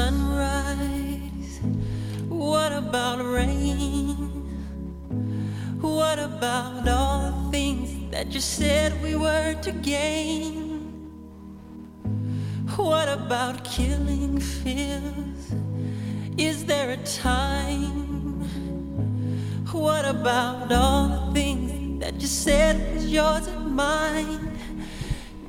sunrise? What about rain? What about all the things that you said we were to gain? What about killing fears? Is there a time? What about all the things that you said was yours and mine?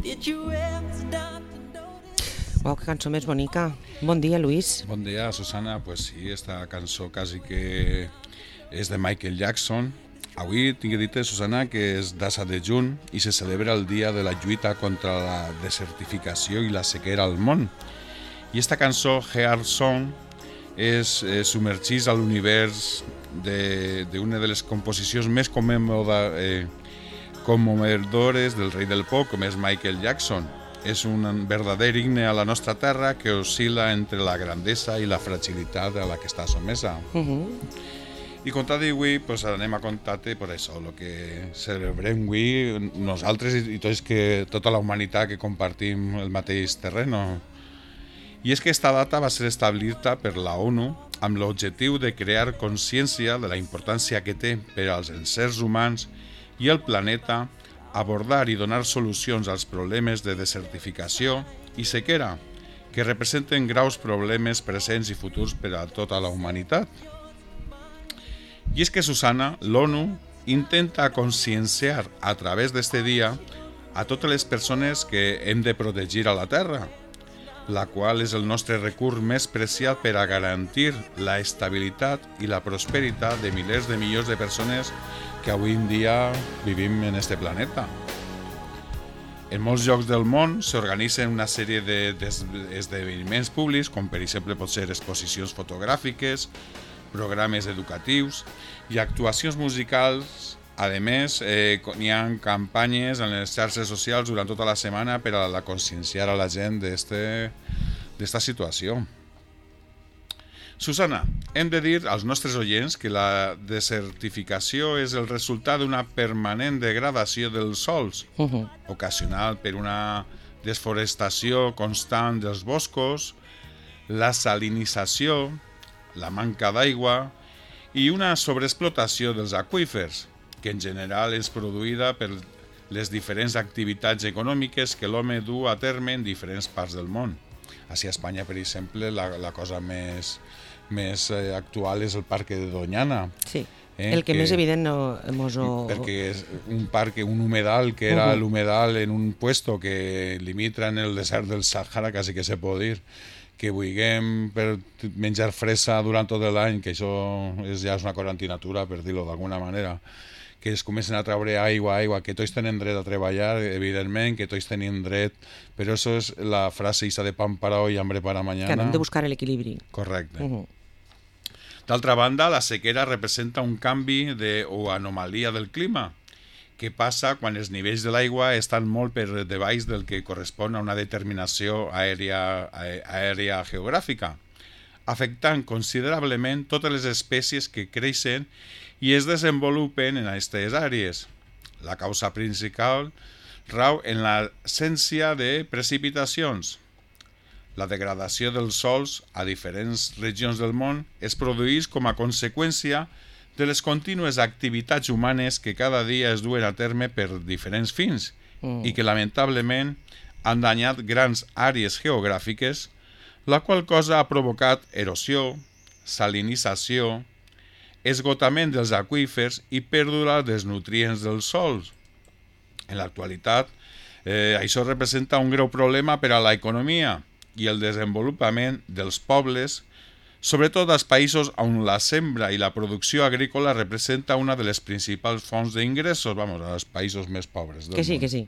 Did you ever stop to notice? Uau, que cançó més bonica. Bon dia, Luis. Bon dia, Susana. Pues sí, esta cançó quasi que és de Michael Jackson. Avui tinc dit, Susana, que és d'11 de juny i se celebra el dia de la lluita contra la desertificació i la sequera al món. I esta cançó, Heart Song, submergeix a l'univers d'una de les composicions més commovedores del rei del pop, com és Michael Jackson. És un verdader himne a la nostra terra que oscil·la entre la grandesa i la fragilitat a la que està sotmesa. I contar d'avui, pues, anem a contar-te per això, el que celebrem avui nosaltres i tota la humanitat que compartim el mateix terreno. I és que esta data va ser establerta per la ONU amb l'objectiu de crear consciència de la importància que té per als éssers humans i el planeta abordar i donar solucions als problemes de desertificació i sequera, que representen graus problemes presents i futurs per a tota la humanitat. I és que, Susana, l'ONU intenta conscienciar a través d'este dia a totes les persones que hem de protegir a la Terra, la qual és el nostre recurs més preciat per a garantir la estabilitat i la prosperitat de milers de milions de persones que avui en dia vivim en este planeta. En molts llocs del món s'organitzen una sèrie d'esdeveniments públics, com per exemple pot ser exposicions fotogràfiques, programes educatius i actuacions musicals. A més, hi ha campanyes en les xarxes socials durant tota la setmana per a conscienciar a la gent d'esta situació. Susana, hem de dir als nostres oients que la desertificació és el resultat d'una permanent degradació dels sòls, ocasional per una desforestació constant dels boscos, la salinització, la manca d'aigua i una sobreexplotació dels aqüífers, que en general és produïda per les diferents activitats econòmiques que l'home du a terme en diferents parts del món. Així a Espanya, per exemple, la cosa més actual és el parc de Doñana. Sí, el que més evident perquè és un humedal que era l'humedal en un puesto que limita en el desert del Sàhara, quasi que se pot dir, que vulguem per menjar fresa durant tot l'any, que això ja és una cosa antinatura, per dir-ho d'alguna manera, que es comencen a treure aigua, que tots tenen dret a treballar, evidentment, que tots tenim dret, però això és la frase isa de pan para hoy, hambre para mañana. Que hem de buscar l'equilibri. Correcte. D'altra banda, la sequera representa un canvi o anomalia del clima, que passa quan els nivells de l'aigua estan molt per debaix del que correspon a una determinació aèria geogràfica, afectant considerablement totes les espècies que creixen i es desenvolupen en aquestes àrees. La causa principal rau en l'absència de precipitacions. La degradació dels sòls a diferents regions del món es produeix com a conseqüència de les contínues activitats humanes que cada dia es duen a terme per diferents fins i que lamentablement han danyat grans àrees geogràfiques, la qual cosa ha provocat erosió, salinització, esgotament dels aqüífers i pèrdua dels nutrients dels sòls. En l'actualitat, això representa un greu problema per a l'economia i el desenvolupament dels pobles, sobretot als països on la sembra i la producció agrícola representa una de les principals fonts d'ingressos, als països més pobres del món. Que sí.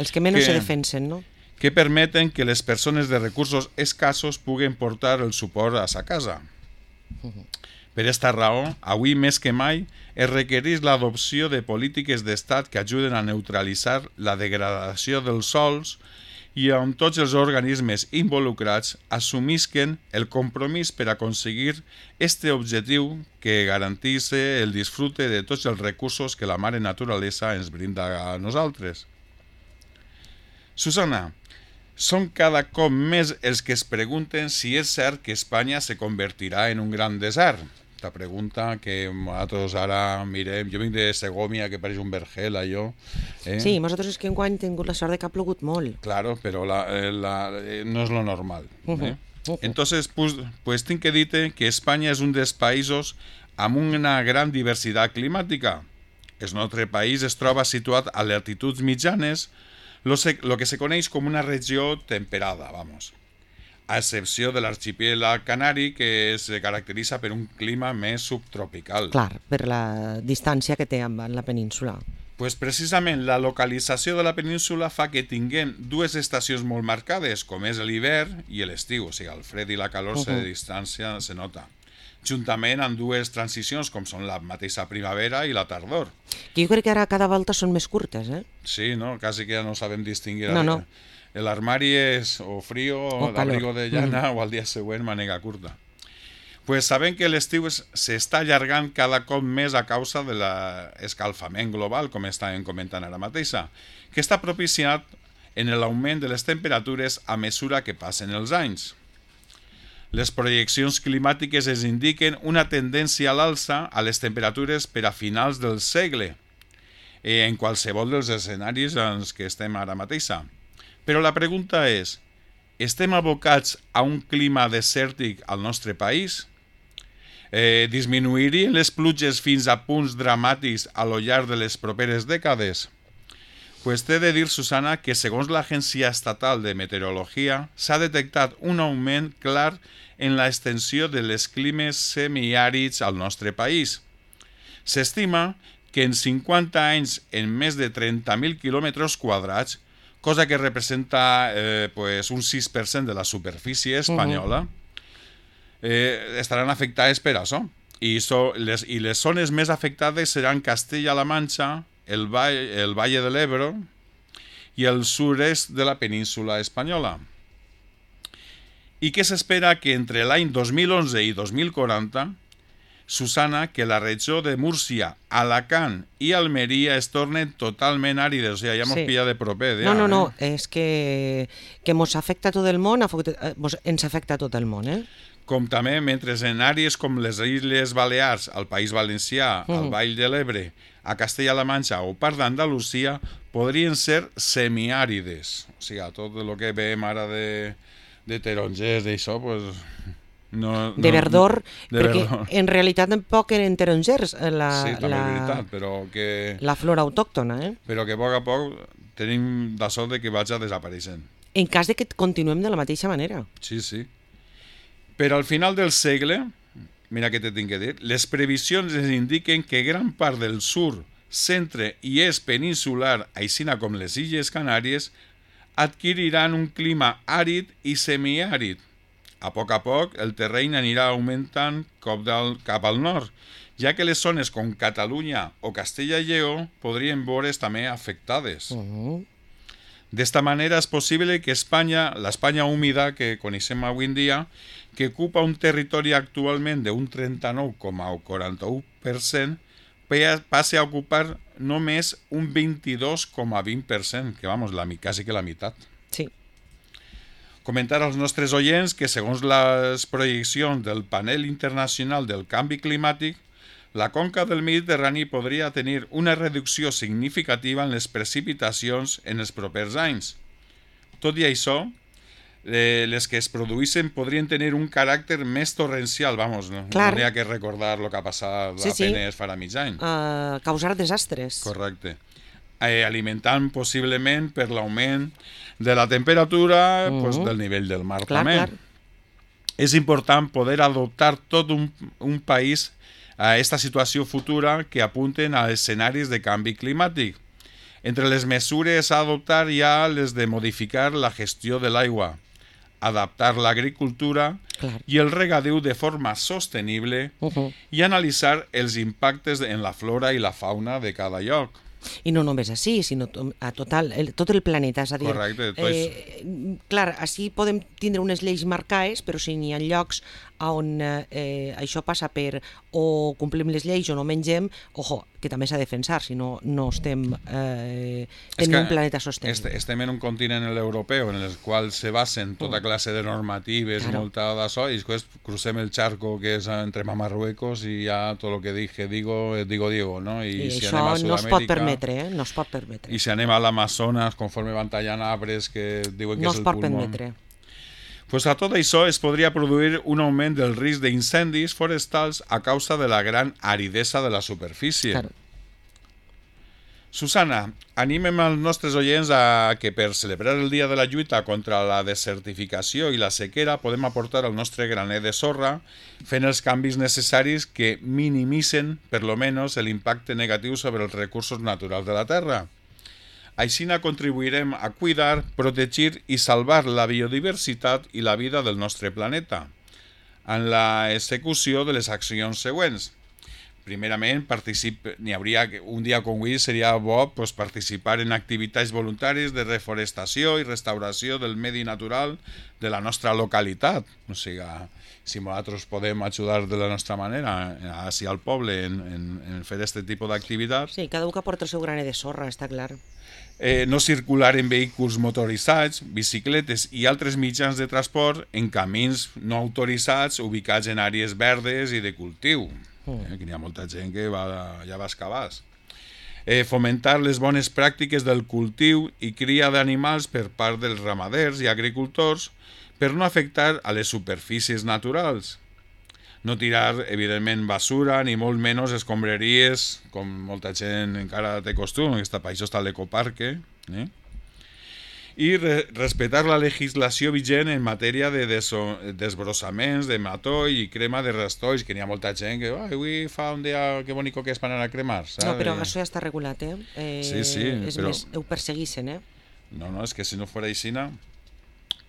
Els que menys se defensen, no? Que permeten que les persones de recursos escassos puguen portar el suport a sa casa. Per aquesta raó, avui més que mai, es requereix l'adopció de polítiques d'estat que ajuden a neutralitzar la degradació dels sòls i on tots els organismes involucrats assumisquen el compromís per aconseguir este objectiu que garantís el disfrute de tots els recursos que la mare naturalesa ens brinda a nosaltres. Susana, Són cada cop més els que es pregunten si és cert que Espanya se convertirà en un gran desert. La pregunta que nosaltres ara mirem, jo vinc de Segòvia, que pareix un vergel, allò. Sí, nosaltres és que enguany hem tingut la sort de que ha plogut molt. Claro, però no és lo normal. Entonces, pues tinc que dir-te que Espanya és un dels països amb una gran diversitat climàtica. El nostre país es troba situat a latituds mitjanes, lo que se coneix com una regió temperada, vamos. A excepció de l'arxipèlag canari, que es caracteritza per un clima més subtropical. Clar, per la distància que té amb la península. Pues precisament la localització de la península fa que tinguem dues estacions molt marcades, com és l'hivern i l'estiu, o sigui, el fred i la calor de distància se nota. Juntament amb dues transicions, com són la mateixa primavera i la tardor. Que jo crec que ara cada volta són més curtes, eh? Sí, no? Quasi que ja no sabem distingir. No. L'armari és o frío, o l'abrigo de llana, o al dia següent mànega curta. Pues sabem que l'estiu s'està allargant cada cop més a causa de l'escalfament global, com estàvem comentant ara mateixa, que està propiciat en l'augment de les temperatures a mesura que passen els anys. Les projeccions climàtiques ens indiquen una tendència a l'alça a les temperatures per a finals del segle, en qualsevol dels escenaris en què estem ara mateixa. Però la pregunta és, estem abocats a un clima desèrtic al nostre país? Disminuirien les pluges fins a punts dramàtics a lo llarg de les properes dècades? Pues t'he de dir, Susana, que segons l'Agència Estatal de Meteorologia s'ha detectat un augment clar en l'extensió de les climes semiàrids al nostre país. S'estima que en 50 anys, en més de 30.000 quilòmetres quadrats, cosa que representa un 6% de la superfície espanyola, estaran afectades per això. I les zones més afectades seran Castella-La Manxa, el Valle de l'Ebro i el sud-est de la península espanyola. I què s'espera que entre l'any 2011 i 2040, Susana, que la regió de Múrcia, Alacant i Almeria es tornen totalment àrides. O sigui, ja mos pilla de proper. No, és que mos afecta tot el món, ens afecta tot el món, eh? Com també, mentre en àrees com les Illes Balears, al País Valencià, al Vall de l'Ebre, a Castella-La Manxa o part d'Andalusia, podrien ser semiàrides. O sigui, tot el que veiem ara de tarongers, d'això, doncs... de verdor, perquè en realitat tampoc eren tarongers sí, també és veritat, però que... la flora autòctona, eh? Però que a poc tenim la sort de que vagi desapareixent. En cas de que continuem de la mateixa manera. Sí. Però al final del segle, mira què te tinc que dir, les previsions ens indiquen que gran part del sud, centre i est peninsular, així com les Illes Canàries, adquiriran un clima àrid i semiàrid. A poc, el terreny anirà augmentant cap al nord, ja que les zones com Catalunya o Castella i Lleó podrien veure's també afectades. D'esta manera és possible que l'Espanya húmida que coneixem avui en dia, que ocupa un territori actualment d'un 39,41%, passi a ocupar només un 22,20%, que quasi que la meitat. Sí. Comentar als nostres oients que segons les projeccions del Panel Internacional del Canvi Climàtic, la conca del Mediterrani podria tenir una reducció significativa en les precipitacions en els propers anys. Tot i això, les que es produïssin podrien tenir un caràcter més torrencial, no n'hi ha que recordar el que ha passat apenas farà mig any. Causar desastres. Correcte. Alimentant possiblement per l'augment de la temperatura del nivell del mar també. Clar. És important poder adoptar tot un país a aquesta situació futura que apunten a escenaris de canvi climàtic. Entre les mesures a adoptar hi ha les de modificar la gestió de l'aigua, adaptar l'agricultura i el regadiu de forma sostenible i analitzar els impactes en la flora i la fauna de cada lloc. I no només així, sinó a tot el planeta. És a dir, correcte. Clar, així podem tindre unes lleis marcades, però si n'hi ha llocs on això passa per o complim les lleis o no mengem, que també s'ha de defensar, si no estem tenint un planeta sostenible. Estem en un continent europeu en el qual se basen tota classe de normatives, molta d'això, i després crucem el charco que és entre Marruecos i ja tot el que digo, no? I si això no es pot permetre, no es pot permetre. I si anem a l'Amazones, conforme van tallant arbres que diuen que és el pulmó... No es pot permetre. Pues a tot això es podria produir un augment del risc d'incendis forestals a causa de la gran aridesa de la superfície. Claro. Susana, animem als nostres oients a que per celebrar el dia de la lluita contra la desertificació i la sequera podem aportar el nostre graner de sorra fent els canvis necessaris que minimitzen, per lo menos, l'impacte negatiu sobre els recursos naturals de la Terra. Així contribuirem a cuidar, protegir i salvar la biodiversitat i la vida del nostre planeta, en la execució de les accions següents. Primerament, un dia com avui seria bo participar en activitats voluntàries de reforestació i restauració del medi natural de la nostra localitat. O sigui, si nosaltres podem ajudar de la nostra manera hacia el poble en fer aquest tipus d'activitats. Sí, cada un que aporta el seu graner de sorra, està clar. No circular en vehicles motoritzats, bicicletes i altres mitjans de transport en camins no autoritzats ubicats en àrees verdes i de cultiu. Que hi ha molta gent que ja va excavar. Fomentar les bones pràctiques del cultiu i cria d'animals per part dels ramaders i agricultors per no afectar a les superfícies naturals. No tirar, evidentment, basura, ni molt menys escombraries, com molta gent encara té costum, per això està l'ecoparque, i respectar la legislació vigent en matèria de desbrossaments, de matoll i crema de rastolls, que n'hi ha molta gent que avui fa un dia que bonico que és per anar a cremar, saps? No, però això ja està regulat, Sí, és però... més, ho perseguissin, No, és que si no fos així,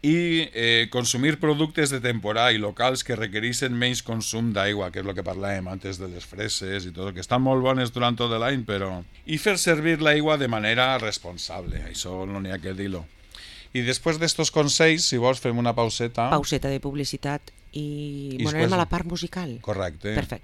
i consumir productes de temporada i locals que requereixen menys consum d'aigua, que és el que parlàvem antes de les freses i tot, que estan molt bones durant tot l'any, però... I fer servir l'aigua de manera responsable, això no n'hi ha que dir-ho. I després d'estos consells, si vols, fem una pauseta. Pauseta de publicitat i bueno, anem a la part musical. Correcte. Perfecte.